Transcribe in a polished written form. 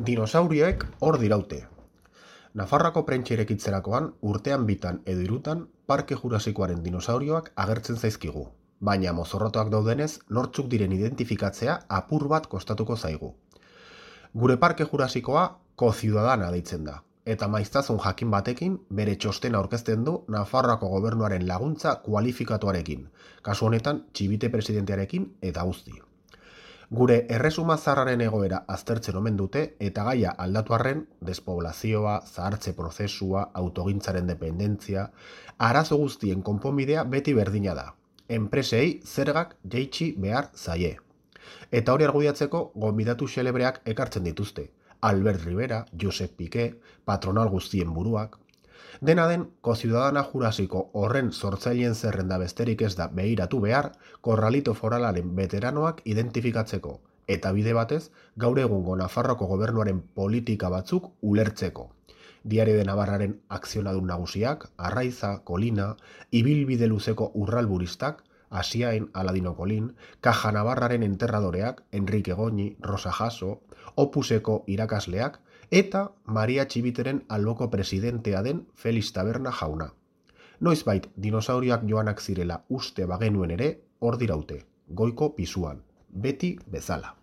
Dinosaurioek hor diraute. Nafarroako prentsa irekitzerakoan urtean bitan edo hirutan Parke Jurasikoaren dinosaurioak agertzen zaizkigu, baina mozorrotuak daudenez nortzuk diren identifikatzea apur bat kostatuko zaigu. Gure Parke Jurasikoa Ko-Ciudadana deitzen da, eta maiztasun jakin batekin bere txostena aurkezten du Nafarroako gobernuaren laguntza kualifikatuarekin, kasu honetan txibite presidentearekin eta guzti. Gure erresuma zaharraren egoera aztertzen omen dute eta gaia aldatu arren, despoblazioa, zahartze prozesua, autogintzaren dependentzia, arazo guztien konponbidea beti berdina da. Enpresei zergak jaitsi behar zaie. Eta hori argudiatzeko gonbidatu xelebreak ekartzen dituzte. Albert Rivera, Josep Piqué, patronal guztien buruak. Dena den, Ko-Ciudadana Jurasiko horren sortzaileen zerrenda besterik ez da behiratu behar korralito foralaren veteranoak identifikatzeko, eta bide batez, gaur egungo Nafarroko gobernuaren politika batzuk ulertzeko. Diario de Navarraren akzionadun nagusiak, Arraiza, Kolina, ibilbide luzeko urralburistak, Asiain, Aladino Colín, Caja Navarraren enterradoreak, Enrique Goñi, Rosa Jasso, Opuseko irakasleak, eta Maria Txibiteren alboko presidentea den Felix Taberna jauna. Noizbait dinosaurioak joanak zirela uste bagenuen ere, hor diraute, goiko pisuan, beti bezala.